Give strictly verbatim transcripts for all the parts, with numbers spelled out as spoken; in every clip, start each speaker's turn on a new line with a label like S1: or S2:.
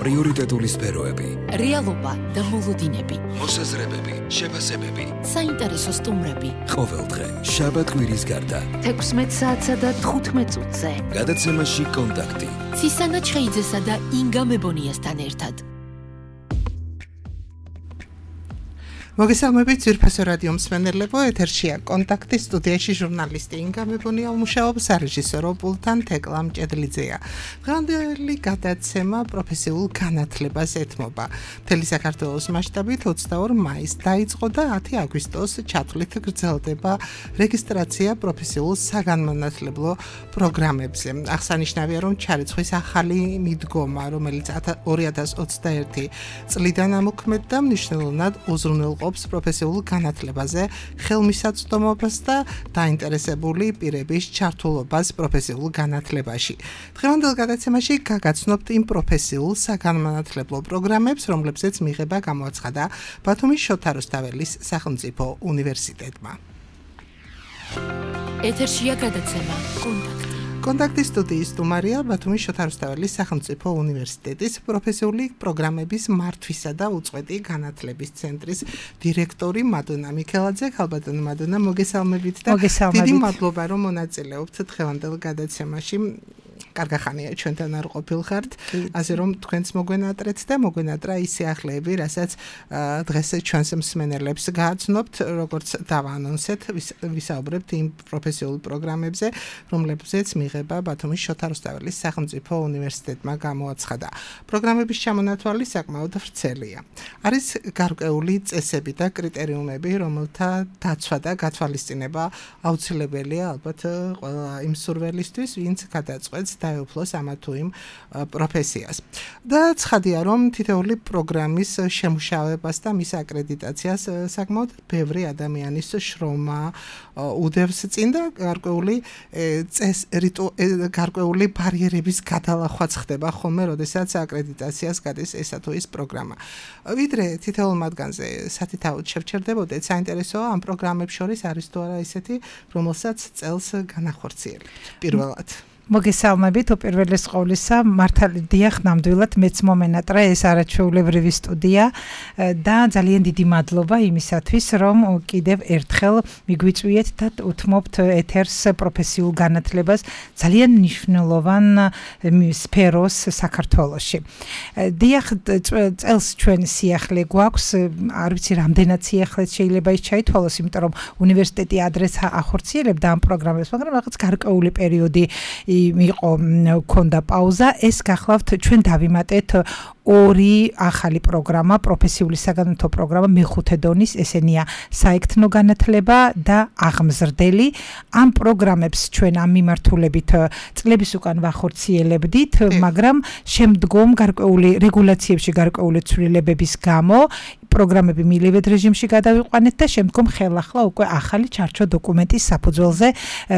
S1: პრიორიტეტული სფეროები,
S2: რეალობა და მოლოდინები,
S1: მოსაზრებები, შეფასებები,
S2: საინტერესო სტუმრები.
S1: ყოველდღე შაბათ-კვირის გარდა
S2: თექვსმეტ საათსა და თხუთმეტ წუთზე
S1: გადაცემაში კონტაქტი
S2: ცისანა ჩხეიძესა და ინგა მებონიასთან ერთად.
S3: მოგესალმებით ძვირფასო რადიო მსმენელებო, ეთერშია კონტაქტი, სტუდიაში ჟურნალისტი ინგა მებონია მუშაობს, რეჟისორო პულტთან თეკლა მჭედლიძეა. დღევანდელი გადაცემა პროფესიულ განათლებას ეთმობა. მთელი საქართველოს მასშტაბით ოცდაორ მაისს დაიწყო და ათი აგვისტოს ჩათვლით გრძელდება რეგისტრაცია პროფესიულ საგანმანათლებლო პროგრამებზე. აღსანიშნავია, რომ ჩარიცხვის ახალი მიდგომა, რომელიც ორი ათას ოცდაერთი წლიდან ამოქმედდა, მნიშვნელოვნად უზრუნველყოფს პროფესიულ განათლებაზე ხელმისაწვდომობას და დაინტერესებული პირების ჩართულობას პროფესიულ განათლებაში. დღევანდელ გადაცემაში გაგაცნობთ იმ პროფესიულ საგანმანათლებლო პროგრამებს, რომლებზეც მიღება გამოაცხადა ბათუმის შოთა რუსთაველის სახელმწიფო უნივერსიტეტმა.
S2: ეთერშია გადაცემა კონტაქტი.
S3: კონტაქტის სტუდიის სტუმარია ბათუმის შოთა რუსთაველის სახელმწიფო უნივერსიტეტის პროფესიული პროგრამების მართვისა და უწყვეტი განათლების ცენტრის დირექტორი მადონა მიქელაძე. ქალბატონო მადონა, მოგესალმებით და დიდი მადლობა, რომ მონაწილეობთ დღევანდელ გადაცემაში. კარგი ხანია ჩვენთან არ ყოფილხართ, ასე რომ თქვენც მოგვენატრეთ და მოგვენატრა ის სიახლეები, რასაც დღეს ჩვენს მსმენელებს გააცნობთ, როგორც დავაანონსეთ, ვისაუბრებთ იმ პროფესიულ პროგრამებზე, რომლებზეც მიღება ბათუმის შოთა რუსთაველის სახელმწიფო უნივერსიტეტმა გამოაცხადა. პროგრამების ჩამონათვალი საკმაოდ ვრცელია. არის გარკვეული წესები და კრიტერიუმები, რომელთა დაცვა და გათვალისწინება აუცილებელია ალბათ ყველა იმ მსურველისთვის, ვინც გადაწყვეტს დაეუფლოს ამა თუ იმ პროფესიას. და ცხადია, რომ თითოეული პროგრამის შემუშავებას და მის აკრედიტაციას საკმაოდ ბევრი ადამიანის შრომა უდევს წინ და გარკვეული წეს გარკვეული ბარიერების გადალახვაც ხდება ხოლმე, როდესაც აკრედიტაციას გადის ესა თუ ის პროგრამა. ვიდრე თითოეულ მათგანზე სათითაოდ შევჩერდებოდეთ, საინტერესოა ამ პროგრამებს შორის არის თუ არა ისეთი, რომელსაც წელს განახორციელებთ პირველად.
S4: მოგესალმებით, უპირველეს ყოვლისა, მართალი დიახ, ნამდვილად მეც მომენატრა ეს არაჩვეულებრივი სტუდია და ძალიან დიდი მადლობა იმისათვის, რომ კიდევ ერთხელ მიგვიწვიეთ და უთმობთ ეთერს პროფესიულ განათლებას ძალიან მნიშვნელოვან სფეროს საქართველოში. დიახ, წელს ჩვენ სიახლე გვაქვს, არ ვიცი რამდენად სიახლეც შეიძლება ის ჩაითვალოს, იმიტომ რომ უნივერსიტეტი ადრეს ახორციელებდა ამ პროგრამებს, მაგრამ რაღაც გარკვეული პერიოდი იყო ქონდა პაუზა. ეს გახლავთ ჩვენ დავიმატეთ ორი ახალი პროგრამა, პროფესიული საგანმანათლებლო პროგრამა მეხუთე დონის, ესენია საექთნო განათლება და აღმზრდელი. ამ პროგრამებს ჩვენ ამ მიმართულებით წლების უკან ვახორციელებდით, მაგრამ შემდგომ გარკვეული რეგულაციებში გარკვეული ცვლილებების გამო პროგრამები მილივედ რეჟიმში გადავიყვანეთ და შემდგომ ხელახლა უკვე ახალი ჩარჩო დოკუმენტის საფუძველზე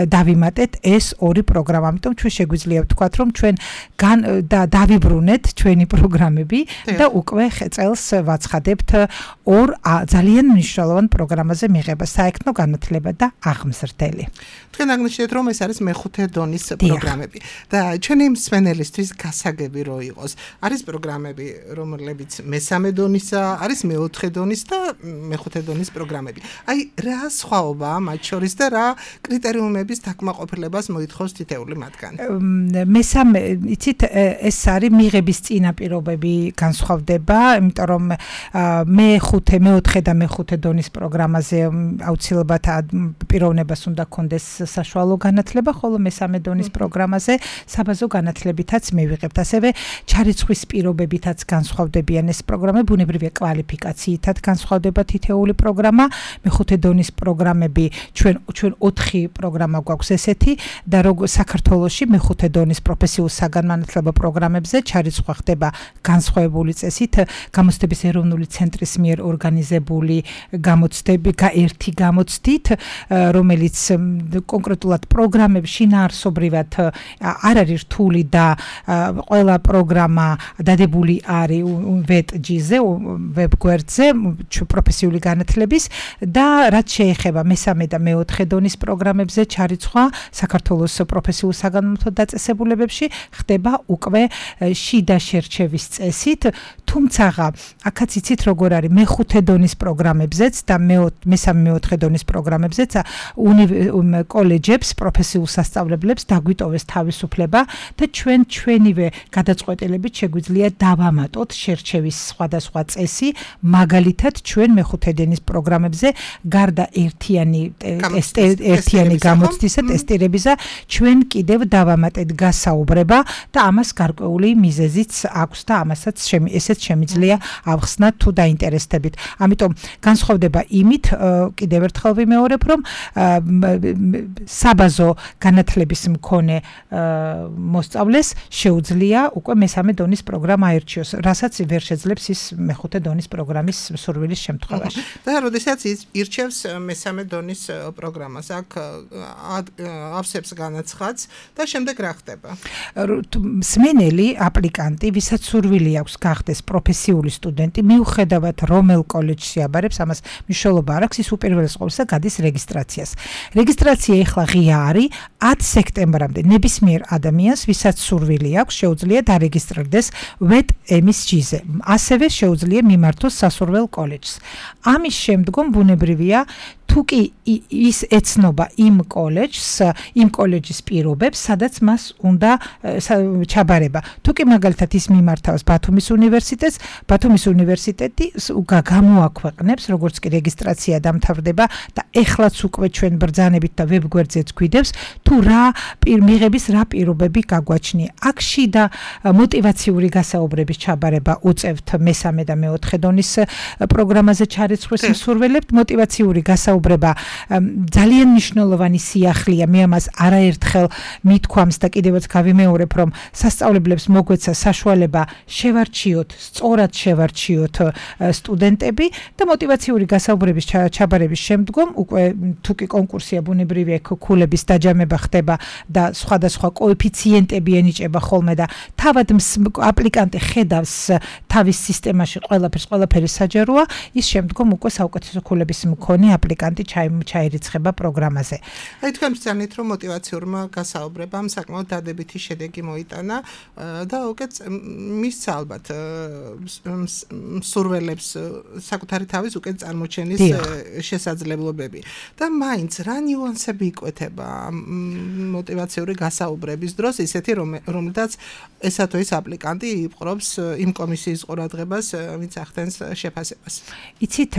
S4: დავიმატეთ ეს ორი პროგრამა. ამიტომ ჩვენ შეგვიძლია ვთქვათ, რომ ჩვენ და დავიბრუნეთ ჩვენი პროგრამები და უკვე წელს ვაცხადებთ ორ ძალიან მნიშვნელოვან პროგრამაზე მიღება, საექთნო განათლება და აღმზრდელი.
S3: თქვენ აღნიშნეთ, რომ ეს არის მეხუთე დონის პროგრამები და ჩვენი მსმენელისთვის გასაგები რო იყოს. არის პროგრამები, რომლებიც მესამე დონისა, არის მეოთხე დონის და მეხუთე დონის პროგრამები. აი, რა სხვაობაა მათ შორის და რა კრიტერიუმების დაკმაყოფილებას მოითხოვს თითეული მათგანი?
S4: მესამე, იცით, ეს არის მიღების წინაპირობები განსხვავდება, იმიტომ რომ მეხუთე, მეოთხე და მეხუთე დონის პროგრამაზე აუცილებლად პიროვნებას უნდა ქონდეს საშუალო განათლება, ხოლო მესამე დონის პროგრამაზე საბაზო განათლებითაც მივიღებთ. ასევე ჩარიცხვის პირობებითაც განსხვავდებიან ეს პროგრამები, ბუნებრივია კვალიფიკაციითაც განსხვავდება თითეული პროგრამა. მეხუთე დონის პროგრამები ჩვენ ჩვენ ოთხი პროგრამა გვაქვს ესეთი და როგორ საქართველოში მეხუთე დონის პროფესიულ საგანმანათლებლო პროგრამებზე ჩარიცხვა ხდება განსხვავებული წესით, გამოცდების ეროვნული ცენტრის მიერ ორგანიზებული გამოცდები, ერთი გამოცდით, რომელიც კონკრეტულად პროგრამებში შინაარსობრივად არ არის რთული და ყველა პროგრამა დადებული არის ვეტ ჯი-ზე, ვებ გვერდზე სტანდარტზე პროფესიული განათლების და რაც შეეხება მესამე და მეოთხე დონის პროგრამებზე ჩარიცხვა საქართველოს პროფესიულ საგანმანათლებლო დაწესებულებებში ხდება უკვე შიდა შერჩევის წესით, თუმცა აქაც იცით როგორ არის მეხუთე დონის პროგრამებზეც და მესამე მეოთხე დონის პროგრამებზეც კოლეჯებს, პროფესიულ სასწავლებლებს დაგვიტოვეს თავისუფლება და ჩვენ ჩვენივე გადაწყვეტილებით შეგვიძლია დავამატოთ შერჩევის სხვადასხვა წესი, მაგალითად ჩვენ მეხუთე დონის პროგრამებზე გარდა ერთიანი ერთიანი გამოცდისა, ტესტირებისა, ჩვენ კიდევ დავამატეთ გასაუბრება და ამას გარკვეული მიზეზიც აქვს და ამასაც ესეც შემიძლია ავხსნათ თუ დაინტერესდებით. ამიტომ განსხვავდება იმით, კიდევ ერთხელ ვიმეორებ, რომ საბაზო განათლების მქონე მოსწავლეს შეუძლია უკვე მესამე დონის პროგრამა აერჩიოს, რასაც ვერ შეძლებს ის მეხუთე დონის პროგრამის მსურვილის შემთხვევაში.
S3: და როდესაც ირჩევს მესამე დონის პროგრამას, აქ ავსებს განაცხადს და შემდეგ რა ხდება?
S4: მსმენელი, აპლიკანტი, ვისაც სურვილი აქვს გახდეს პროფესიული სტუდენტი, მიუხედავად რომელ კოლეჯში აბარებს, ამას მნიშვნელობა არ აქვს, ის უპირველეს ყოვლისა გადის რეგისტრაციას. რეგისტრაცია ეხლა ღია არის, ათი სექტემბრამდე ნებისმიერ ადამიანს, ვისაც სურვილი აქვს, შეუძლია დარეგისტრდეს ვეტ ემ ის ჯი-ზე. ასევე შეუძლია მიმართოს სასურველ კოლეჯს. ამის შემდგომ ბუნებრივია თუ კი ის ეცნობა იმ კოლეჯს, იმ კოლეჯის პირობებს, სადაც მას უნდა ჩაბარება. თუ კი მაგალითად ის მიმართავს ბათუმის უნივერსიტეტს, ბათუმის უნივერსიტეტი გამოაქვეყნებს, როგორც კი რეგისტრაცია დამთავრდება და ეხლაც უკვე ჩვენ ბრძანებით და ვებგვერდზეც გვიდევს, თუ რა მიღების რა პირობები გაგვაჩნია. აქ შიდა მოტივაციური გასაუბრების ჩაბარება უწევთ მესამე და მეოთხე დონის პროგრამაზე ჩარიცხვის მსურველებთ, მოტივაციური გასაუბრება ძალიან მნიშვნელოვანი სიახლეა, მე ამას არაერთხელ მithქვამს და კიდევაც გავიმეორებ, რომ სასწავლებლებს მოგვეცა საშუალება შევარჩიოთ, სწორად შევარჩიოთ სტუდენტები და მოტივაციური გასაუბრების ჩაბარების შემდგომ უკვე თუ კი კონკურსია ბუნებრივია ქულების დაჯამება ხდება და სხვადასხვა კოეფიციენტები ენიჭება ხოლმე და თავად აპლიკანტი ხედავს თავის სისტემაში ყველაფერს, ყველაფერი საჯაროა, ის შემდგომ უკვე საუკეთესო ქულების მქონე აპლიკანტი ჩაირიცხება პროგრამაზე.
S3: აი თქვენ ბრძანეთ, რომ მოტივაციურმა გასაუბრებამ საკმაოდ დადებითი შედეგი მოიტანა და უკეთ მისცა ალბათ მსურველებს საკუთარი თავის უკეთ წარმოჩენის შესაძლებლობები. და მაინც რა ნიუანსები იკვეთება მოტივაციური გასაუბრების დროს, ისეთი რომელთაც ესა თუ ის აპლიკანტი იპყრობს იმ კომისიის ყურადღებას, ვინც ახდენს შეფასებას.
S4: იცით,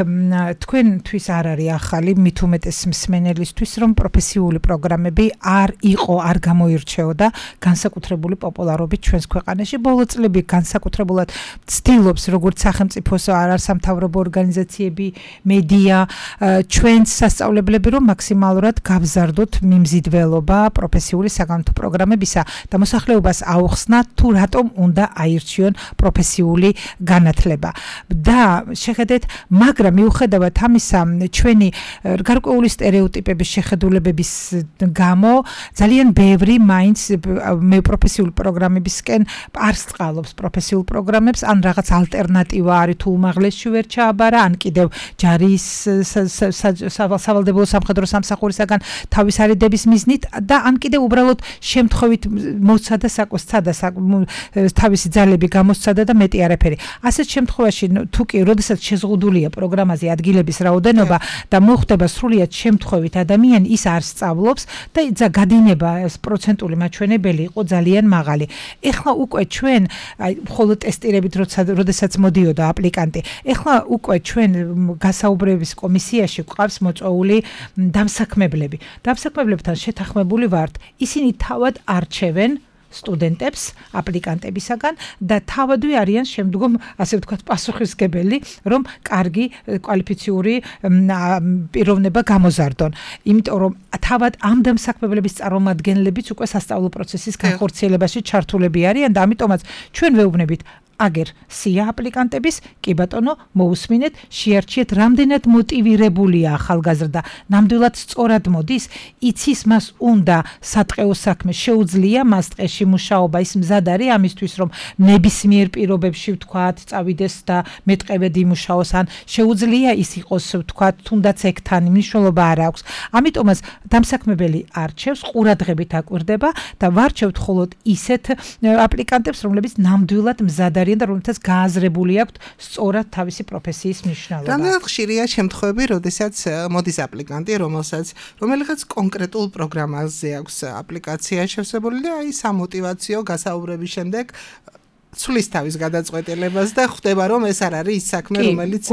S4: თქვენთვის არ არის ახალი, მით უმეტეს მსმენელისთვის, რომ პროფესიული პროგრამები არ იყო, არ გამოირჩეოდა განსაკუთრებული პოპულარობით ჩვენს ქვეყანაში. ბოლო წლები განსაკუთრებულად ცდილობს როგორც სახელმწიფოს არასამთავრობო ორგანიზაციები, მედია, ჩვენს სასწავლებლები, რომ მაქსიმალურად გავზარდოთ მიმზიდველობა პროფესიული საგანმანათლებლო პროგრამებისა და მოსახლეობას აუხსნათ თუ რატომ უნდა აირჩიონ პროფესიული განათლება. და შეხედეთ, მაგრამ მიუხედავად ამისა, ჩვენი გარკვეული სტერეოტიპების შეხედულებების გამო ძალიან ბევრი მაინც მე პროფესიული პროგრამებისკენ არ სწავლობს პროფესიულ პროგრამებს, ან რაღაც ალტერნატივა არის თუ უმაღლესში ვერ ჩააბარა, ან კიდევ ჯარის სავალდებულო სამხედრო სამსახურისაგან თავის არიდების მიზნით და ან კიდევ უბრალოდ შემთხვევით მოსცადა საკოსცადა თავისი ძალები გამოსცადა და მეტი არაფერი. ასეთ შემთხვევაში თუ კი როდესაც შეზღუდულია პროგრამაზე ადგილების რაოდენობა და მოხდება სრულიად შემთხვევით ადამიანი ის არ სწავლობს და გადინება პროცენტული მაჩვენებელი იყო ძალიან მაღალი. ეხლა უკვე ჩვენ აი მხოლოდ ტესტირებით როდესაც მოდიოდა აპლიკანტი, ეხლა უკვე ჩვენ გასაუბრების კომისიაში გვყავს მოწვეული დამსაქმებლები. დამსაქმებლებთან შეთანხმებული ვართ, ისინი თავად არჩევენ სტუდენტებს აპლიკანტებისაგან და თავადვე არიან შემდგომ, ასე ვთქვათ, პასუხისმგებელი, რომ კარგი კვალიფიციური პიროვნება გამოზარდონ. იმიტომ რომ თავად ამ დამსაქმებლების წარმომადგენლებიც უკვე სასწავლო პროცესის განხორციელებაში ჩართულები არიან და ამიტომაც ჩვენ ვეუბნებით აგერ სია აპლიკანტების, კი ბატონო, მოусმინეთ, შეარჩიეთ, რამდენად მოტივირებულია ახალგაზრდა, ნამდვილად სწორად მოდის, იცის მას უნდა სატყეო საქმე, შეუძლია მას ტყეში მუშაობა, ის მზად არის ამისთვის, რომ ნებისმიერ პირობებში ვთქვათ, წავიდეს და მეტყევედ იმუშაოს, ან შეუძლია ის იყოს, ვთქვათ, თუნდაც ეგთან მნიშვნელობა არ აქვს. ამიტომაც დამსაქმებელი არჩევს, ყურადღებით აკვირდება და ვარჩევთ მხოლოდ ისეთ აპლიკანტებს, რომლებიც ნამდვილად მზად არიან და რომელთაც გააზრებული აქვთ სწორად თავისი პროფესიის მნიშვნელობა.
S3: რამდენად ხშირია შემთხვევები, როდესაც მოდის აპლიკანტი, რომელსაც რომელიღაც კონკრეტულ პროგრამაზე აქვს აპლიკაცია შევსებული და აი სამოტივაციო გასაუბრების შემდეგ ცulis თავის გადაწყვეტილებას და ხვდება რომ ეს არ არის ის საქმე რომელიც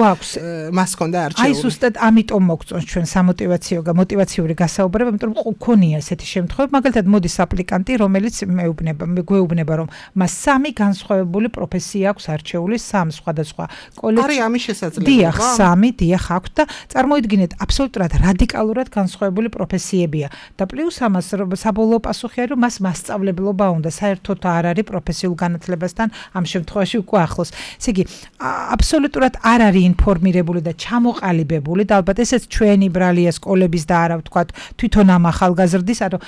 S3: მას ჰქონდა არჩეული.
S4: აი ზუსტად ამიტომ მოგწონს ჩვენ სამოტივაციო და მოტივაციური გასაუბრება, იმიტომ რომ გქონია ესეთი შემთხვევები, მაგალითად მოდის აპლიკანტი, რომელიც მეუბნება, მეგვეუბნება რომ მას სამი განსხვავებული პროფესია აქვს არჩეული, სამ სხვადასხვა კოლეჯში.
S3: არის ამის შესაძლებლობა?
S4: დიახ, სამი, დიახ, აქვს და წარმოიდგინეთ, აბსოლუტურად რადიკალურად განსხვავებული პროფესიებია. და პლუს ამას საბოლოო პასუხი არის რომ მას მასწავლებლობა უნდა, საერთოდ არ არის პროფესიულ განათლებასთან ამ შემთხვევაში უკვე ახლოს. ესე იგი, აბსოლუტურად არ არის ინფორმირებული და ჩამოყალიბებული და ალბათ ესეც ჩვენი ბრალია სკოლების და არა ვთქვათ თვითონ ამ ახალგაზრდის, ანუ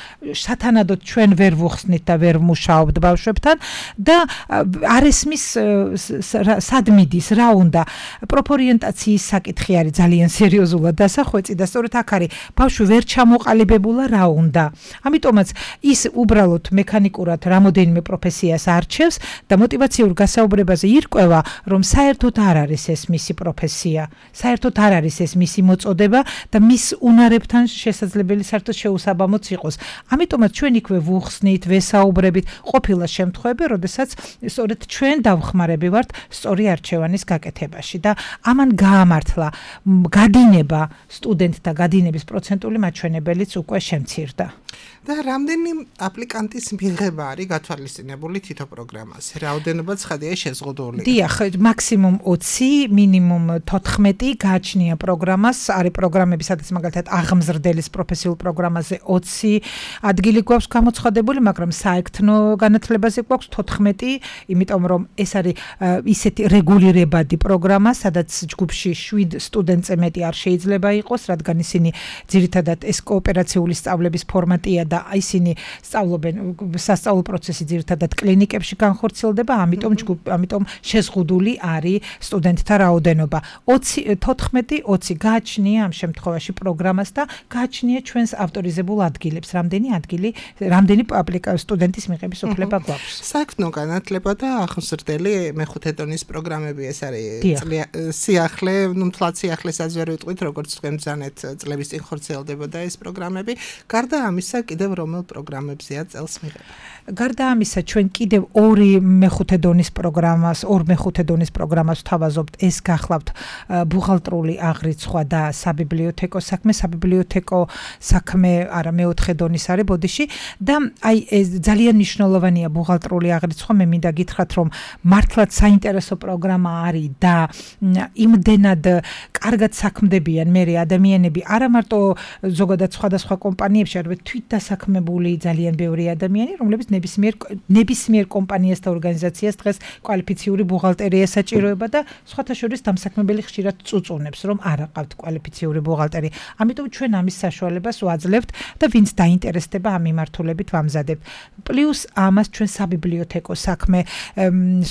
S4: სათანადოდ ჩვენ ვერ ვუხსნით და ვერ ვმუშაობთ ბავშვებთან და არ ესმის სად მიდის, რა უნდა. პროფორიენტაციის საკითხი არის ძალიან სერიოზულად დასახვეწი და სწორედ აქ არის ბავშვი ვერ ჩამოყალიბებულა რა უნდა. ამიტომაც ის უბრალოდ მექანიკურად რამოდენიმე პროფესიას არჩევს და მოტივაციურ გასაუბრებაზე ირკვევა, რომ საერთოდ არ არის ეს მისი პროფესია, საერთოდ არ არის ეს მისი მოწოდება და მის უნარებთან შესაძლებელი საერთოდ შეუსაბამოც იყოს. ამიტომაც ჩვენ იქვე ვუხსნით, ვესაუბრებით, ყოფილა შემთხვევები, როდესაც სწორედ ჩვენ დავხმარები ვართ სწორი არჩევანის გაკეთებაში და ამან გაამართლა გადინება სტუდენტთა გადინების პროცენტული მაჩვენებელიც უკვე შემცირდა.
S3: და რამდენი აპლიკანტის მიღება არის გათვალისწინებული თითო პროგრამაზე? რაოდენობა ცხადია შეზღუდული?
S4: დიახ, მაქსიმუმ ოცი, მინიმუმ თოთხმეტი გააჩნია პროგრამას, არის პროგრამები, სადაც მაგალითად აღმზრდელის პროფესიულ პროგრამაზე ოცი ადგილი გვაქვს გამოცხადებული, მაგრამ საექთნო განათლებაზე გვაქვს თოთხმეტი, იმიტომ რომ ეს არის ისეთი რეგულირებადი პროგრამა, სადაც ჯგუფში შვიდ სტუდენტზე მეტი არ შეიძლება იყოს, რადგან ისინი ძირითადად ეს კოოპერაციული სწავლების ფორმატია და ისინი სწავლობენ, სასწავლო პროცესი ძირითადად კლინიკებში განხორციელდება, ამიტომ ამიტომ შეზღუდული არის სტუდენტთა რაოდენობა. ოცი, თოთხმეტი, ოცი გააჩნია ამ შემთხვევაში პროგრამას და გააჩნია ჩვენს ავტორიზებულ ადგილებს, რამდენი ადგილი, რამდენი სტუდენტის მიღების უფლება გვაქვს.
S3: საექთნო განათლება და აღმზრდელი მეხუთე დონის პროგრამები ეს არის სიახლე, ნუ მთლად სიახლესაც ვერ ვიტყვით, როგორც თქვენ ბრძანეთ წლების წინ ხორციელდებოდა ეს პროგრამები. გარდა ამისა, კიდევ რომელ პროგრამებზეა წელს მიღება?
S4: გარდა ამისა, ჩვენ კიდევ ორი მეხუთე დონის პროგრამას, ორ მეხუთე დონის პროგრამას ვთავაზობთ, ეს გახლავთ ბუღალტრული აღრიცხვა და საბიბლიოთეკო საქმე, საბიბლიოთეკო საქმე არა მეოთხე დონის არის ბოდიში და აი ეს ძალიან მნიშვნელოვანია ბუღალტრული აღრიცხვა, მე მინდა გითხრათ, რომ მართლაც საინტერესო პროგრამა არის და იმდენად კარგად საქმდებიან მე ადამიანები, არა მარტო ზოგადად სხვადასხვა კომპანიებში, არამედ თვით დასაქმებული ძალიან ბევრი ადამიანი, რომლებიც ნებისმიერ ნებისმიერ კომპანიას და ორგანიზაციას დღეს კვალიფიციური ბუღალტერია საჭიროება და სხვათა შორის დამსაქმებელი ხშირად წუწუნებს, რომ არ აყავთ კვალიფიციური ბუღალტერი. ამიტომ ჩვენ ამის საშუალებას ვაძლევთ და ვინც დაინტერესდება ამ მიმართულებით ვამზადებთ. პლუს ამას ჩვენ საბიბლიოთეკო საქმე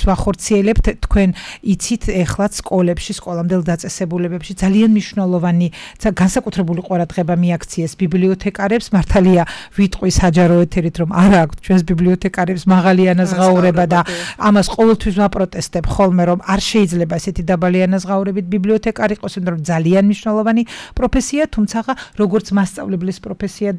S4: ვახორციელებთ, თქვენ იცით ეხლაც სკოლებში, სკოლამდელ დაწესებულებებში ძალიან მნიშვნელოვანი განსაკუთრებული ყურადღება მიაქციეს ბიბლიოთეკარებს, მართალია ვიტყვი საჯარო ეთერით, რომ არა აქვს ჩვენს ბიბლიოთეკარებს მაღალი ანაზღაურება და ამას ყოველთვის ვაპროტესტებ ხოლმე, რომ არ შეიძლება ესეთი დაბალი ანაზღაურებით ბიბლიოთეკარი იყოს, იმიტომ რომ ძალიან მნიშვნელოვანი პროფესია, თუმცა როგორც მასწავლებლის პროფესია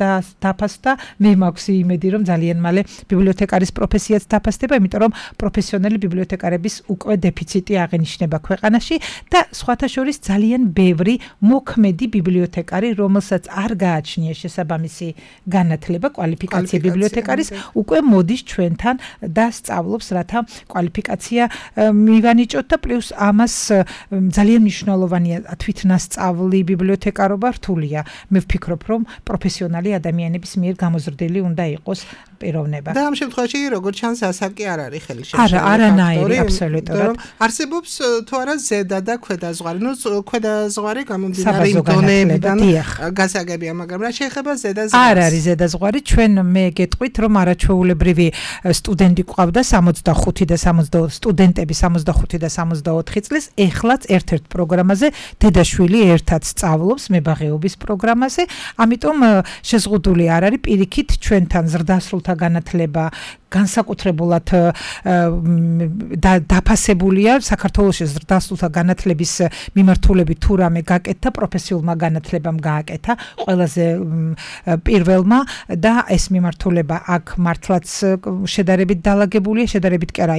S4: დაფასდა, მე მაქვს იმედი, რომ ძალიან მალე ბიბლიოთეკარის პროფესიაც დაფასდება, იმიტომ რომ პროფესიონალი ბიბლიოთეკარების უკვე დეფიციტი აღინიშნება ქვეყანაში და სხვათა შორის ძალიან ბევრი მოქმედი ბიბლიოთეკარი, რომელსაც არ გააჩნია შესაბამისი განათლება, კვალიფიკაცია ბიბლიოთეკარის უკვე მოდის ჩვენთან და სწავლობს, რათა კვალიფიკაცია მივანიჭოთ და პლუს ამას ძალიან მნიშვნელოვანია თვითნასწავლი ბიბლიოთეკარობა რთულია. მე ვფიქრობ, რომ პროფესიონალი ადამიანების მიერ გამოზრდილი უნდა იყოს პიროვნება.
S3: და ამ შემთხვევაში როგორც ჩანს ასაკი არ არის ხელშემშლელი.
S4: არა, არანაირი, აბსოლუტურად.
S3: არსებობს თუ არა ზედა და ქვედა ზღვარი. ნუ ქვედა ზღვარი გამომდინარე იმ დონეებიდან გასაგებია, მაგრამ რა შეეხება ზედა ზღვარს?
S4: არ არის ზედა ზღვარი. ჩვენ მე გეტყვით, რომ არაჩვეულებრივი სტუდენტი ყავდა სამოცდახუთი და სამოცდაოთხ სტუდენტები სამოცდახუთი და სამოცდაოთხი წლის, ეხლაც ერთ-ერთ პროგრამაზე დედაშვილი ერთად სწავლობს მებაღეობის პროგრამაზე, ამიტომ შეზღუდული არ არის პირიქით ჩვენთან ზრდასრულთა განათლება განსაკუთრებულად დაფასებულია საქართველოს ზრდასრულთა განათლების მიმართულებით თუ რამე გაკეთა პროფესიულმა განათლებამ გააკეთა ყველაზე პირველმა და ეს მიმართულება აქ მართლაც შედარებით დალაგებულია, შედარებით კი არა,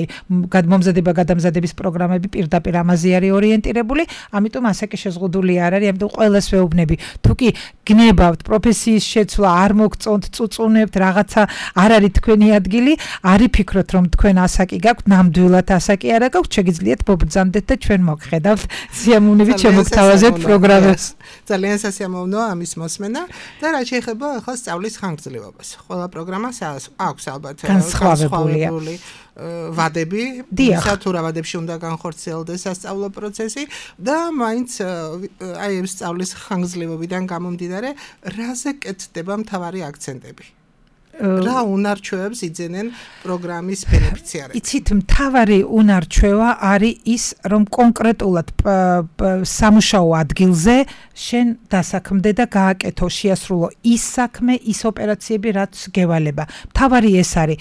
S4: გადმომზადება გადამზადების პროგრამები პირდაპირ ამაზე არის ორიენტირებული, ამიტომ ასაკი შეზღუდული არ არის, ამიტომ ყველას ვეუბნები, თუ კი გნებავთ პროფესიის შეცვლა, არ მოგწონთ, წუწუნებთ, რაღაცა არ არის თქვენი ადგილი, არი ფიქრობთ, რომ თქვენ ასაკი გაქვთ, ნამდვილად ასაკი არა გაქვთ, შეგიძლიათ მობრძანდეთ და ჩვენ მოგხედავთ სიამოვნებით შემოგთავაზეთ პროგრამებს.
S3: ძალიან სასიამოვნოა ამის მოსმენა და რა შეეხება ახლა სწავლის ხანგრძლივობას. ყველა პროგრამას აქვს ალბათ
S4: განსხვავებული
S3: ვადები, ისა თუ რა ვადებში უნდა განხორციელდეს სასწავლო პროცესი და მაინც აი ამ სწავლის ხანგრძლივობიდან გამომდინარე, რაზე კეთდება მთავარი აქცენტები? რა უნარჩვევებს იძენენ პროგრამის ბენეფიციარები?
S4: იცით, მთავარი უნარჩვევა არის ის, რომ კონკრეტულად სამუშაო ადგილზე შენ დასაქმდე და გააკეთო, შეასრულო ის საქმე, ის ოპერაციები, რაც გევალება. მთავარი ეს არის.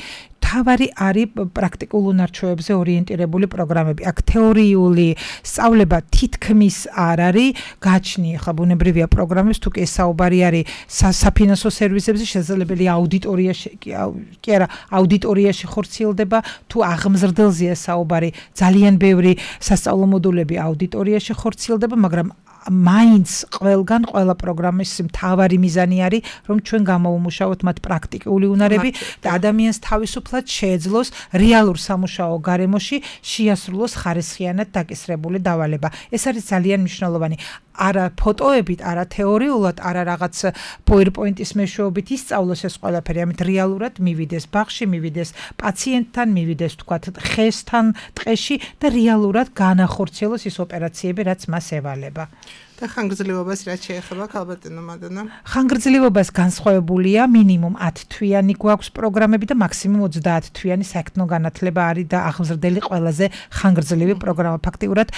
S4: მთავარი არის პრაქტიკულ უნარჩვევებზე ორიენტირებული პროგრამები. აქ თეორიული სწავლება თითქმის არ არის, გაჩნი ახლა ბუნებრივია პროგრამებს, თუ კი ეს საუბარი არის საფინანსო სერვისებზე, შესაძლებელია აუდიტორიაში კი არა, აუდიტორიაში ხორციელდება, თუ აღმზრდელზეა საუბარი, ძალიან ბევრი სასწავლო მოდულები აუდიტორიაში ხორციელდება, მაგრამ მაინც ყველგან ყველა პროგრამის მთავარი მიზანი არის, რომ ჩვენ გამოუმუშავოთ მათ პრაქტიკული უნარები და ადამიანს თავისუფლად შეეძლოს რეალურ სამუშაო გარემოში შეასრულოს ხარისხიანად დაკისრებული დავალება. ეს არის ძალიან მნიშვნელოვანი. არა ფოტოებით, არა თეორიულად, არა რაღაც PowerPoint-ის მეშვეობით ისწავლოს ეს ყველაფერი, ამით რეალურად მივიდეს ბაღში, მივიდეს პაციენტთან, მივიდეს თქვათ ხესთან, ტყეში და რეალურად განახორციელოს ის ოპერაციები, რაც მას ევალება.
S3: და ხანგრძლივობას რაც შეეხება ქალბატონო მადონა?
S4: ხანგრძლივობას განსხვავებულია, მინიმუმ ათი თვიანი გვაქვს პროგრამები და მაქსიმუმ ოცდაათი თვიანი საერთო განათლება არის და აღმზრდელი ყველაზე ხანგრძლივი პროგრამა. ფაქტიურად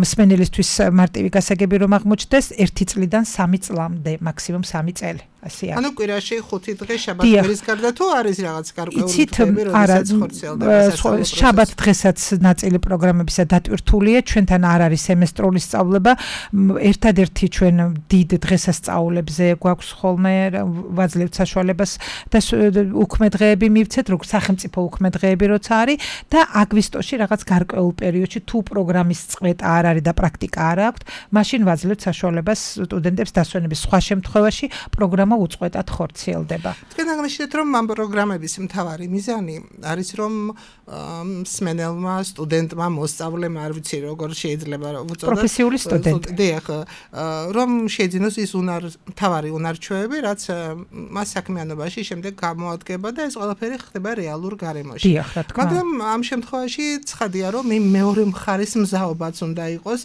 S4: მსმენელისთვის მარტივი გასაგები რომ აღმოჩნდეს ერთი წლიდან სამი წლამდე, მაქსიმუმ სამი წელი. ასე არის.
S3: ანუ კვირაში ხუთი დღე შაბათ-კვირის გარდა თუ არის რაღაც გარკვეული დღეები, როდესაც ხორციელდება სასწავლო პროცესი?
S4: შაბათ დღესაც ნაწილი პროგრამებისა დატვირთულია, ჩვენთან არ არის სემესტრული სწავლება. ერთადერთი ჩვენ დიდ დღესასწაულებზე გვაქვს ხოლმე ვაძლევთ საშუალებას და უქმე დღეები მივცეთ, როგორც სახელმწიფო უქმე დღეები როცა არის და აგვისტოში რაღაც გარკვეულ პერიოდში თუ პროგრამის წყვეტა არ არის და პრაქტიკა არ აქვს, მაშინ ვაძლევთ საშუალებას სტუდენტებს დასვენების. სხვა შემთხვევაში პროგრამა უწყვეტად ხორციელდება.
S3: თქვენ აღნიშნეთ, რომ ამ პროგრამების მთავარი მიზანი არის, რომ მსმენელმა, სტუდენტმა, მოსწავლემ, არ ვიცი როგორ შეიძლება უწოდოთ,
S4: პროფესიული სტუდენტი.
S3: დიახ, რომ შეძინოს ის უნარ მთავარი უნარჩვევები, რაც მას საქმიანობაში შემდეგ გამოადგება და ეს ყველაფერი ხდება რეალურ გარემოში.
S4: დიახ, რა თქმა უნდა.
S3: მაგრამ ამ შემთხვევაში ცხადია, რომ იმ მეორე მხარის მზაობაც უნდა იყოს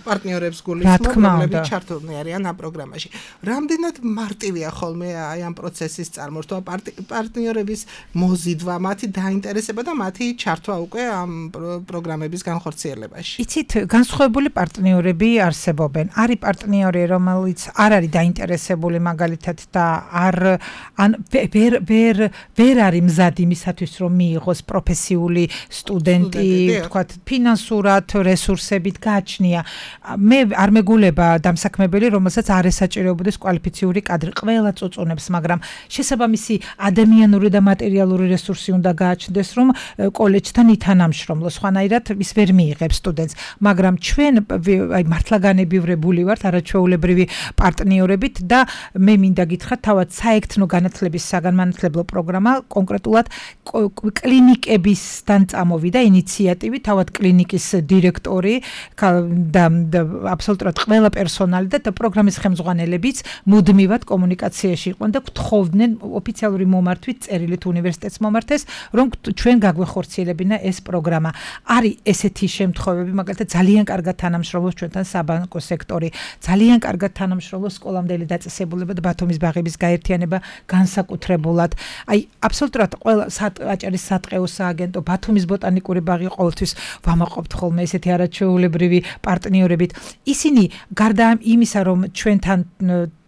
S3: პარტნიორებს გულისხმობ, რომლებიც ჩართულნი არიან ამ პროგრამაში. რამდენად მარტივია ხოლმე აი ამ პროცესის წარმორთვა, პარტნიორების მოზიდვა, მათი დაინტერესება და მათი ჩართვა უკვე ამ პროგრამების განხორციელებაში.
S4: იცით, განსხვავებული პარტნიორები არსებობენ. არის პარტნიორი, რომელიც არ არის დაინტერესებული მაგალითად და არ ან ვერ ვერ ვერ არის მზად იმისათვის, რომ მიიღოს პროფესიული სტუდენტი, თქვათ, ფინანსურად, რესურსებით გააჩნია. მე არ მეგულება დამსაქმებელი, რომელსაც არ ესაჭიროებოდეს კვალიფიციური კადრი. ყველა ყველა წუწუნებს, მაგრამ შესაბამისი ადამიანური და მატერიალური რესურსი უნდა გააჩნდეს, რომ კოლეჯთან ითანამშრომლო, სხვანაირად ის ვერ მიიღებს სტუდენტს, მაგრამ ჩვენ აი მართლაგანებივრებული ვართ არაჩვეულებრივი პარტნიორებით და მე მინდა გითხრათ თავად საერთო განათლების საგანმანათლებლო პროგრამა კონკრეტულად კლინიკებისგან წამოვიდა ინიციატივი, თავად კლინიკის დირექტორი და აბსოლუტურად ყველა პერსონალი და პროგრამის ხელმძღვანელებიც მუდმივად კომუნიკაციაში იყვნენ და გთხოვდნენ ოფიციალური მომართვით წერილით უნივერსიტეტს მომართეს, რომ ჩვენ გაგვეხორციელებინა ეს პროგრამა. არის ესეთი შემთხვევები, მაგალითად ძალიან კარგად თანამშრომლობს ჩვენთან საბანკო სექტორი, ძალიან კარგად თანამშრომლობს სკოლამდელი დაწესებულება და ბათუმის ბაღების გაერთიანება განსაკუთრებულად. აი აბსოლუტურად ყველა აჭარის სატყეო სააგენტო, ბათუმის ბოტანიკური ბაღი ყოველთვის ვამაყობთ ხოლმე ესეთი არაჩვეულებრივი პარტნიორებით. ისინი გარდა იმისა, რომ ჩვენთან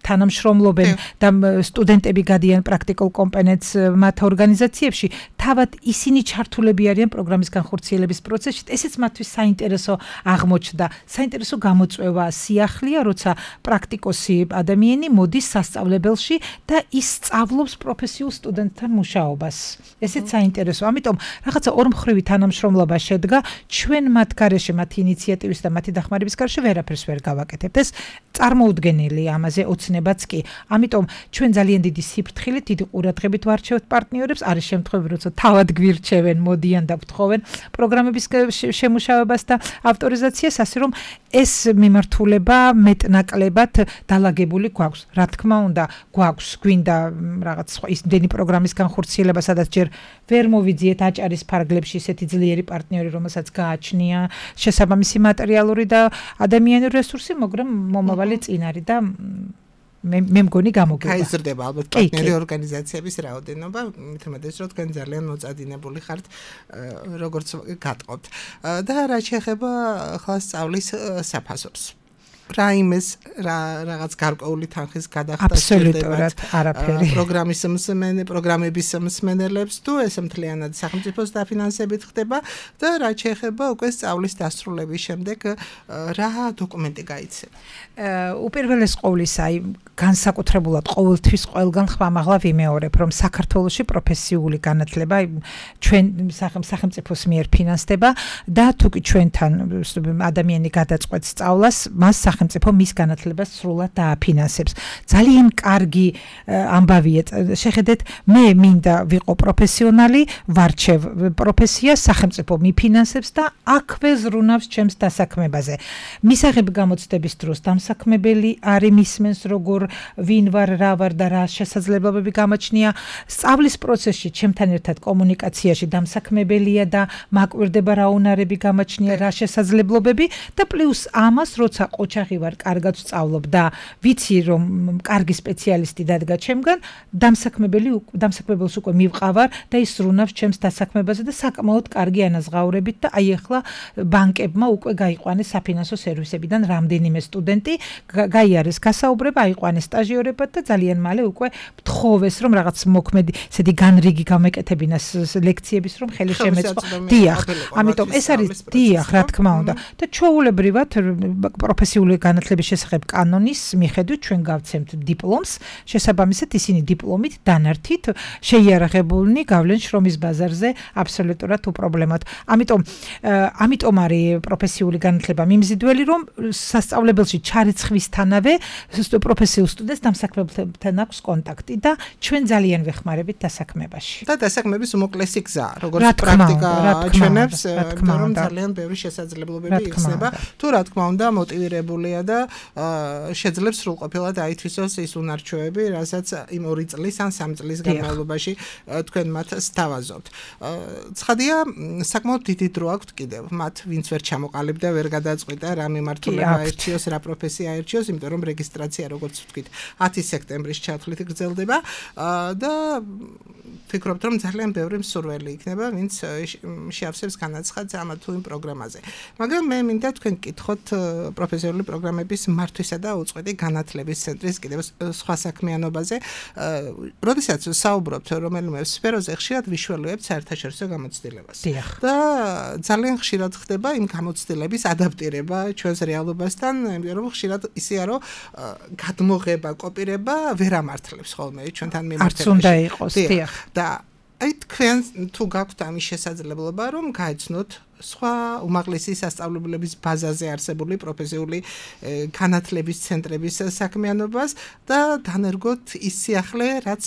S4: თანამშრომლობენ და სტუდენტები გადიან პრაქტიკულ კომპონენტს მათ ორგანიზაციებში, თავად ისინი ჩართულები არიან პროგრამის განხორციელების პროცესში. ესეც მათთვის საინტერესო აღმოჩნდა. საინტერესო გამოწვევა სიახლეა, როცა პრაქტიკოსი ადამიანი მოდის სასწავლებელში და ის სწავლობს პროფესიულ სტუდენტთან მუშაობას. ესეც საინტერესო. ამიტომ რაღაცა ორმხრივი თანამშრომლობა შედგა. ჩვენ მათ გარეშე, მათი ინიციატივის და მათი დახმარების გარეშე ვერაფერს ვერ გავაკეთებთ. ეს წარმოუდგენელი ამაზე ოცნებაც კი. ამიტომ ჩვენ ძალიან დიდი სიფრთხილით, დიდი ყურადღებით ვარჩევთ პარტნიორებს. არის შემთხვევები, როცა თავად გვირჩევენ, მოდიან და გვთხოვენ პროგრამების შემუშავებას და ავტორიზაციას, ასე რომ ეს მიმართულება მეტნაკლებად დალაგებული გვაქვს. რა თქმა უნდა, გვაქვს გვინდა რაღაც სხვა ისდენი პროგრამის განხორციელება, სადაც ჯერ ვერ მოვიძიეთ აჭარის ფარგლებში ესეთი ძლიერი პარტნიორი, რომელსაც გააჩნია შესაბამისი მატერიალური და ადამიანური რესურსი, მაგრამ მომავალი წინ არის და მე მე მგონი გამოგება.
S3: გაიზრდება ალბათ პარტნიორი ორგანიზაციების რაოდენობა, მithmetes რომ თქვენ ძალიან მოწადინებული ხართ, როგორც გატყობთ. და რა შეეხება ახლა სწავლის საფასურს. რაიმეს რაღაც გარკვეული თანხის გადახდა
S4: აბსოლუტურად არაფერი.
S3: პროგრამის მსმენე, პროგრამების მსმენელებს თუ ეს მთლიანად სახელმწიფოს დაფინანსებით ხდება და რა შეეხება უკვე სწავლის დასრულების შემდეგ რა დოკუმენტი გაიცემა.
S4: უპირველეს ყოვლისა, აი განსაკუთრებულად ყოველთვის ყველგან ხმამაღლა ვიმეორებ, რომ საქართველოში პროფესიული განათლება ჩვენ სახელმწიფოს მიერ ფინანსდება და თუკი ჩვენთან ადამიანი გადაწყვეტს სწავლას, მას სახელმწიფო მის განათლებას სრულად დააფინანსებს. ძალიან კარგი ამბავია. შეხედეთ, მე მინდა ვიყო პროფესიონალი, ვარჩევ პროფესიას, სახელმწიფო მიფინანსებს და აქვე ზრუნავს ჩემს დასაქმებაზე. მისაღები გამოცდების დროს დამსაქმებელი არის მისმენს როგორ ვინ ვარ, რა ვარ და რა შესაძლებლობები გამაჩნია. სწავლის პროცესში ჩემთან ერთად კომუნიკაციაში დამსაქმებელია და მაკვირდება რა უნარები გამაჩნია, რა შესაძლებლობები და პლუს ამას, როცა ოჯახი ვარ, კარგად ვსწავლობ და ვიცი რომ კარგი სპეციალისტი დადგა ჩემგან, დამსაქმებელი დამსაქმებელს უკვე მივყავარ და ის ზრუნავს ჩემს დასაქმებაზე და საკმაოდ კარგი ანაზღაურებით და აი ახლა ბანკებმა უკვე გაიყვანეს საფინანსო სერვისებიდან რამდენიმე სტუდენტი, გაიარეს გასაუბრება, აიყვანეს სტაჟიორებად და ძალიან მალე უკვე მთხოვეს რომ რაღაც მოქმედი ესეთი განრიგი გამეკეთებინას ლექციების რომ ხელი შემეწყო. დიახ, ამიტომ ეს არის დიახ, რა თქმა უნდა და ჩვეულებრივად პროფესიული განათლების შესახებ კანონის მიხედვით ჩვენ გავცემთ დიპლომს, შესაბამისად ისინი დიპლომით დანართით შეიარაღებულნი გავლენ შრომის ბაზარზე აბსოლუტურად უპრობლემოდ. ამიტომ ამიტომ არის პროფესიული განათლება მიმზიდველი, რომ სასწავლებელში ჩარიცხვისთანავე პროფესიულ სტუდენტს დამსაქმებელთან აქვს კონტაქტი და ჩვენ ძალიან ვეხმარებით დასაქმებაში.
S3: და დასაქმების უმოკლესი გზა, როგორც პრაქტიკა ჩვენებს, რომ ძალიან ბევრი შესაძლებლობები იხსნება. თუ რა თქმა უნდა მოტივირებულია და შეძლებს სრულყოფილად აითვისოს ის უნარჩვევები, რასაც იმ ორი წლის ან სამი წლის განმავლობაში თქვენ მათ სთავაზობთ. ცხადია, საკმაოდ დიდი დრო აქვთ კიდევ მათ, ვინც ვერ ჩამოყალიბდა, ვერ გადაწყვიტა რა მიმართულება აერჩიოს, რა პროფესია აერჩიოს, იმიტომ რომ რეგისტრაცია, როგორც ვთქვით, ათი სექტემბრის ჩათვლით გრძელდება და ვფიქრობთ, რომ ძალიან ბევრი მსურველი იქნება, ვინც შეავსებს განაცხადს ამ თუ იმ პროგრამაზე. მაგრამ მე მინდა თქვენ გკითხოთ პროფესიული პროგრამების მართვისა და უწყვეტი განათლების ცენტრის კიდევ სხვა საქმიანობაზე. როდესაც საუბრობთ რომელიმე სფეროზე, ხშირად ვიშველებთ საერთაშორისო გამოცდილებას. და ძალიან ხშირად ხდება იმ გამოცდილების ადაპტირება ჩვენს რეალობასთან, იმიტომ რომ ხშირად ისეა რომ გადმოღება, კოპირება ვერ ამართლებს ხოლმე ჩვენთან მიმართებაში.
S4: არც უნდა იყოს, დიახ.
S3: და აი თქვენ თუ გაქვთ ამის შესაძლებლობა რომ გაეცნოთ სხვა უმაღლესი სასწავლებლების ბაზაზე არსებული პროფესიული განათლების ცენტრების საქმიანობას და დანერგოთ ის სიახლე, რაც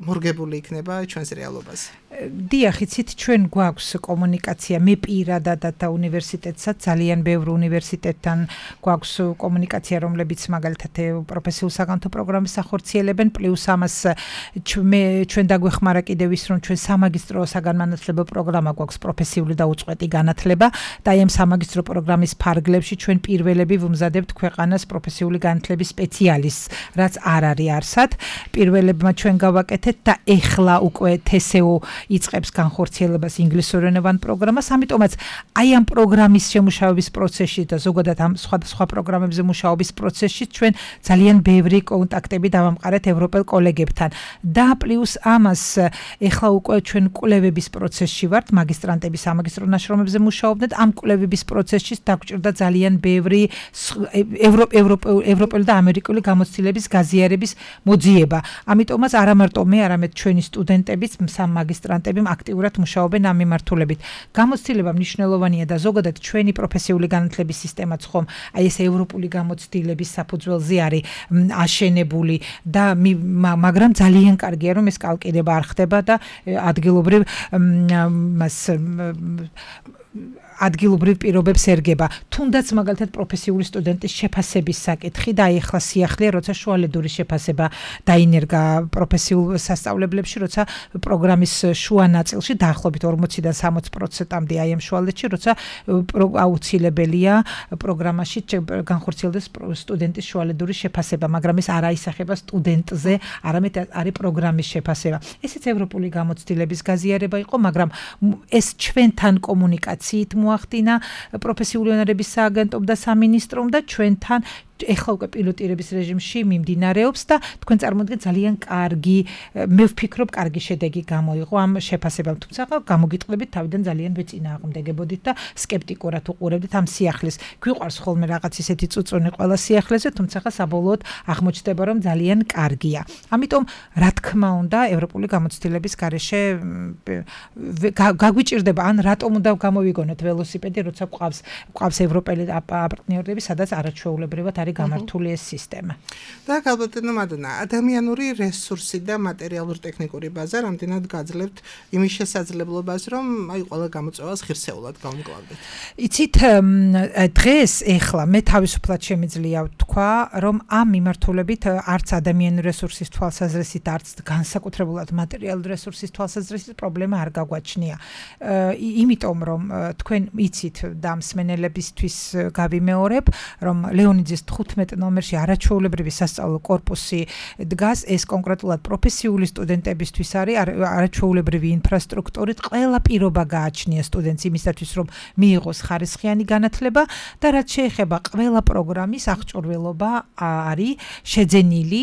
S3: მორგებული იქნება ჩვენს რეალობაზე.
S4: დიახ, იცით, ჩვენ გვაქვს კომუნიკაცია, მე პირადად და უნივერსიტეტსაც ძალიან ბევრ უნივერსიტეტთან გვაქვს კომუნიკაცია, რომლებიც მაგალითად პროფესიულ საგანმანათლებლო პროგრამას ახორციელებენ, პლუს ამას ჩვენ დაგვეხმარა კიდევ ის, რომ ჩვენ სამაგისტრო საგანმანათლებლო პროგრამა გვაქვს პროფესიული და უწყვეტი განათლება და აი ამ სამაგისტრო პროგრამის ფარგლებში ჩვენ პირველები ვუმზადებთ ქვეყანას პროფესიული განათლების სპეციალისტს, რაც არ არის არსად. პირველებმა ჩვენ გავაკეთეთ და ეხლა უკვე თე ეს ე ო იწყებს განხორციელებას ინგლისურენოვან პროგრამას, ამიტომაც აი ამ პროგრამის შემუშავების პროცესში და ზოგადად ამ სხვადასხვა პროგრამებზე მუშაობის პროცესში ჩვენ ძალიან ბევრი კონტაქტები დავამყარეთ ევროპელ კოლეგებთან და პლუს ამას ეხლა უკვე ჩვენ კვლევების პროცესში ვართ, მაგისტრანტები სამაგისტრო ნაშრომებზე მუშაობდნენ, ამ კვლევების პროცესში დაგვჭირდა ძალიან ბევრი ევროპელი და ამერიკული გამოცდილების გაზიარების მოძიება. ამიტომაც არა მარტო მე, არამედ ჩვენი სტუდენტებიც, სამაგისტრანტები აქტიურად მუშაობენ ამ მიმართულებით. გამოცდილება მნიშვნელოვანია და ზოგადად ჩვენი პროფესიული განათლების სისტემაც ხომ აი ეს ევროპული გამოცდილების საფუძველზე არის აშენებული და მაგრამ ძალიან კარგია რომ ეს კალკირება არ ხდება და ადგილობრივ მას ადგილობრივ პირობებს ერგება. თუნდაც მაგალითად პროფესიული სტუდენტის შეფასების საკითხი და აი ახლა სიახლეა, როცა შუალედური შეფასება დაინერგა პროფესიულ სასწავლებლებში, როცა პროგრამის შუა ნაწილში დაახლოებით ორმოციდან სამოცი პროცენტამდე აი ამ შუალედში, როცა აუცილებელია პროგრამაში განხორციელდეს სტუდენტის შუალედური შეფასება, მაგრამ ეს არ აისახება სტუდენტზე, არამედ არის პროგრამის შეფასება. ესეც ევროპული გამოცდილების გაზიარება იყო, მაგრამ ეს ჩვენთან კომუნიკაციით მოახდინა პროფესიული უნარების სააგენტომ და სამინისტრომ და ჩვენთან ეხლა უკვე პილოტირების რეჟიმში მიმდინარეობს და თქვენ წარმოიდგინეთ ძალიან კარგი, მე ვფიქრობ, კარგი შედეგი გამოიღო ამ შეფასებამ, თუმცა გამოგიტყდებით თავიდან ძალიან ვეწინააღმდეგებოდით და სკეპტიკურად უყურებდით ამ სიახლეს. გვიყვარს ხოლმე რაღაც ისეთი წუწუნი ყველა სიახლეზე, თუმცა საბოლოოდ აღმოჩნდება, რომ ძალიან კარგია. ამიტომ რა თქმა უნდა, ევროპული გამოცდილების გარეშე გაგვიჭირდება, ან რატომ უნდა გამოვიგონოთ ველოსიპედი, როცა გვყავს გვყავს ევროპელი პარტნიორები, სადაც არაჩვეულებრივად არის გამართული ეს სისტემა.
S3: და ალბათ მადონა, ადამიანური რესურსი და მატერიალურ-ტექნიკური ბაზა რამდენად გაძლევთ იმის შესაძლებლობას, რომ აი ყველა გამოწვევას ღირსეულად გავმკლავდეთ.
S4: იცით, დღეს ეხლა მე თავისუფლად შემიძლია ვთქვა, რომ ამ მიმართულებით არც ადამიანური რესურსის თვალსაზრისით, არც განსაკუთრებულად მატერიალური რესურსის თვალსაზრისით პრობლემა არ გაგვაჩნია. იმიტომ რომ თქვენ იცით და მსმენელებისთვის გავიმეორებ, რომ ლეონიძის თხუთმეტ ნომერში არაჩვეულებრივი სასწავლო კორპუსი დგას, ეს კონკრეტულად პროფესიული სტუდენტებისთვის არის არაჩვეულებრივი ინფრასტრუქტურით, ყველა პირობა გააჩნია სტუდენტს იმისათვის, რომ მიიღოს ხარისხიანი განათლება და რაც შეეხება ყველა პროგრამის აღჭურვილობა არის შეძენილი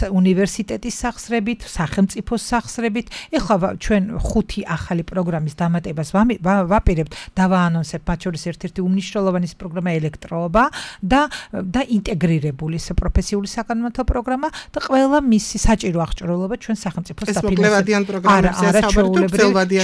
S4: უნივერსიტეტის სახსრებით, სახელმწიფოს სახსრებით. ეხლა ჩვენ ხუთი ახალი პროგრამის დამატებას ვაპირებთ, დავაანონსებ, მათ შორის ერთ-ერთი უმნიშვნელოვანი პროგრამა ელექტროობა და და ინტეგრირებული პროფესიული საკანონმდებლო პროგრამა და ყველა მისი საჭირო აღჭურვილობა ჩვენ სახელმწიფოს საფინანსებაში.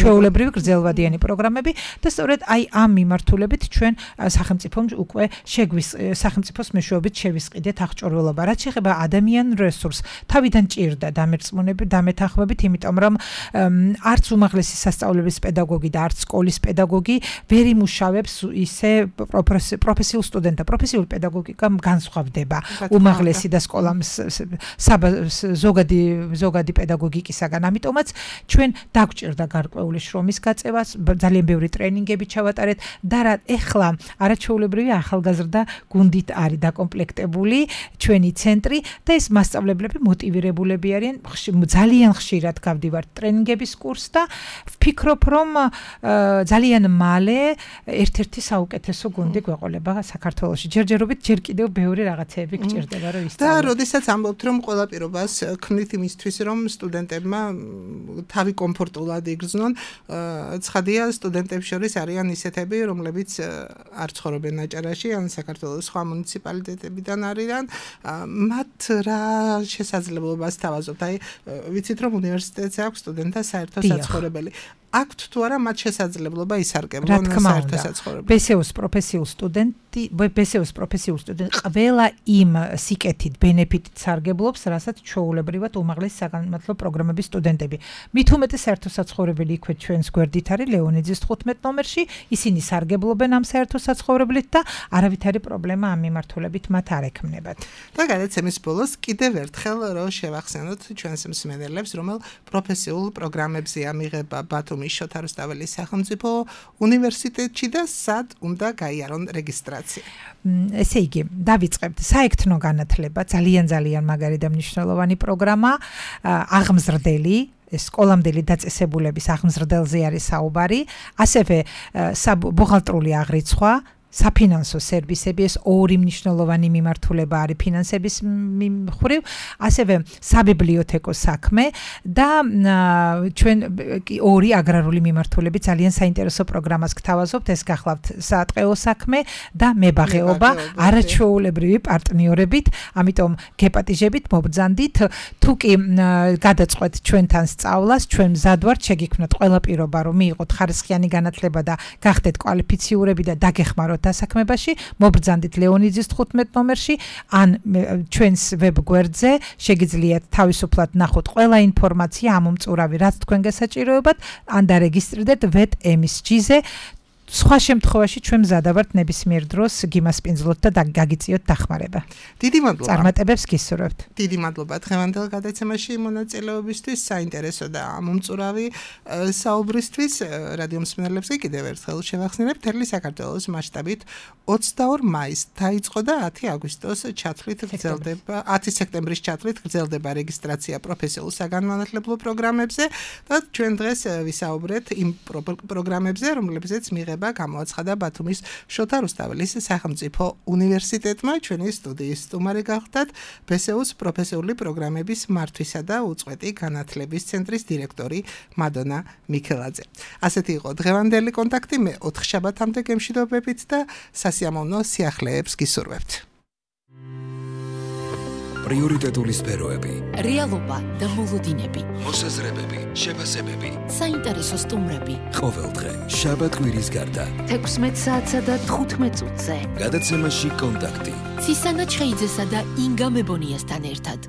S4: ჩვეულებრივი გრძელვადიანი პროგრამები და სწორედ აი ამ მიმართულებით ჩვენ სახელმწიფომ უკვე შეგვის სახელმწიფოს მეშვეობით შევისყიდეთ აღჭურვილობა. რაც შეეხება ადამიანურ რესურსს, თავიდან ჭირდა დამერწმუნები, დამეთანხმებით, იმიტომ რომ არც უმაღლესი სასწავლებლების პედაგოგი და არც სკოლის პედაგოგი ვერ იმუშავებს ისე პროფესიულ სტუდენტთა. პროფესიული პედაგოგიკა განსხვავდება უმაღლესი და სკოლამ ზოგადი ზოგადი პედაგოგიკისაგან. ამიტომაც ჩვენ დაგვჭირდა გარკვეული შრომის გაწევას, ძალიან ბევრი ტრენინგები ჩავატარეთ და რა ეხლა არაჩვეულებრივი ახალგაზრდა გუნდით არის დაკომპლექტებული ჩვენი ცენტრი და ეს მასწავლებლები მოტივირებულები არიან, ძალიან ხშირად გავდივართ ტრენინგების კურსს და ვფიქრობ, რომ ძალიან მალე ერთ-ერთი საუკეთესო გუნდი გვეყოლება საქართველოში. ჯერჯერობით ჯერ ჯერ კიდევ ბევრი რაღაცეები გჭირდება რომ ისწავლო.
S3: და როდესაც ამბობთ რომ ყველა პირობას ქმნით იმისთვის რომ სტუდენტებმა თავი კომფორტულად იგრძნონ, ცხადია სტუდენტებს შორის არიან ისეთები, რომლებიც არ ცხოვრობენ აჭარაში, ან საქართველოს სხვა მუნიციპალიტეტებიდან არიან, მათ რა შესაძლებლობას თავაზობთ? აი, ვიცით რომ უნივერსიტეტზე აქვს სტუდენტთა საერთო საცხოვრებელი. აქვთ თუ არა მათ შესაძლებლობა ისარგებლონ საერთო საცხოვრებლად.
S4: ბე ეს იუს პროფესიულ სტუდენტი, ბე ეს იუს პროფესიულ სტუდენტი ყველა იმ სიკეთით, ბენეფიტით სარგებლობს, რასაც ჩვეულებრივად უმაღლესი საგანმანათლებლო პროგრამების სტუდენტები. მით უმეტეს საერთო საცხოვრებელი იქვე ჩვენს გვერდით არის ლეონიძის თხუთმეტ ნომერში, ისინი სარგებლობენ ამ საერთო საცხოვრებლით და არავითარი პრობლემა ამ მიმართულებით მათ არ ექმნებათ.
S3: და გადაცემის ბოლოს კიდევ ერთხელ რომ შევახსენოთ ჩვენს მსმენელებს, რომელ პროფესიულ პროგრამებზეა მიღება ბათუმის შოთა რუსთაველის სახელმწიფო უნივერსიტეტში და სად უნდა გაიარონ რეგისტრაცია.
S4: ესე იგი, დავიწყებთ საექთნო განათლება, ძალიან ძალიან მაგარი და მნიშვნელოვანი პროგრამა, აღმზრდელი ეს სკოლამდელი დაწესებულების აღმზრდელზე არის საუბარი, ასევე ბუღალტრული აღრიცხვა, საფინანსო სერვისები, ეს ორი მნიშვნელოვანი მიმართულება არის ფინანსების მხრივ, ასევე საბიბლიოთეკო საქმე და ჩვენ ორი აგრარული მიმართულები ძალიან საინტერესო პროგრამას გთავაზობთ, ეს გახლავთ სატყეო საქმე და მებაღეობა, არაჩვეულებრივი პარტნიორებით, ამიტომ გეპატიჟებით, მობრძანდით, თუ კი გადაწყვეთ ჩვენთან სწავლას, ჩვენ მზად ვართ, შეგიქმნათ ყველა პირობა, რომ მიიღოთ ხარისხიანი განათლება და გახდეთ კვალიფიციურები და დაგეხმაროთ დასაქმებაში, მობრძანდით ლეონიძის თხუთმეტ ნომერში, ან ჩვენს ვებ გვერდზე შეგიძლიათ თავისუფლად ნახოთ ყველა ინფორმაცია ამომწურავი, რაც თქვენ გასაჭიროებათ, ან დარეგისტრირდეთ ვეტ ემ ეს ჯი-ზე. სხვა შემთხვევაში ჩვენ მზადა ვართ ნებისმიერ დროს გიმასპინძლოთ და გაგიწიოთ დახმარება.
S3: დიდი მადლობა.
S4: წარმატებებს გისურვებთ.
S3: დიდი მადლობა დღევანდელ გადაცემაში მონაწილეობისთვის, საინტერესო და ამომწურავი საუბრისთვის. რადიო მსმენელებს კიდევ ერთხელ შევახსენებ, მთელი საქართველოს მასშტაბით ოცდაორ მაისს დაიწყო და ათი აგვისტოს ჩათვლით გრძელდება, ათი სექტემბრის ჩათვლით გრძელდება რეგისტრაცია პროფესიულ საგანმანათლებლო პროგრამებზე და ჩვენ დღეს ვისაუბრეთ იმ პროგრამებზე, რომლებზეც მიღება გამოაცხადა ბათუმის შოთა რუსთაველის სახელმწიფო უნივერსიტეტმა. ჩვენი სტუდიის სტუმარი გახდათ ბე ეს იუს პროფესიული პროგრამების მართვისა და უწყვეტი განათლების ცენტრის დირექტორი მადონა მიქელაძე. ასეთი იყო დღევანდელი კონტაქტი, მე ოთხ შაბათამდე გემშვიდობებით და სასიამოვნო სიახლეებს გისურვებთ.
S1: პრიორიტეტული სფეროები,
S2: რეალობა და მოლოდინები,
S1: მოსაზრებები, შეფასებები,
S2: საინტერესო სტუმრები.
S1: ყოველდღე შაბათ კვირის გარდა
S2: თექვსმეტ საათსა და თხუთმეტ წუთზე.
S1: გადაცემაში კონტაქტი.
S2: ცისანა ჩხეიძესა და ინგა მებონიასთან ერთად.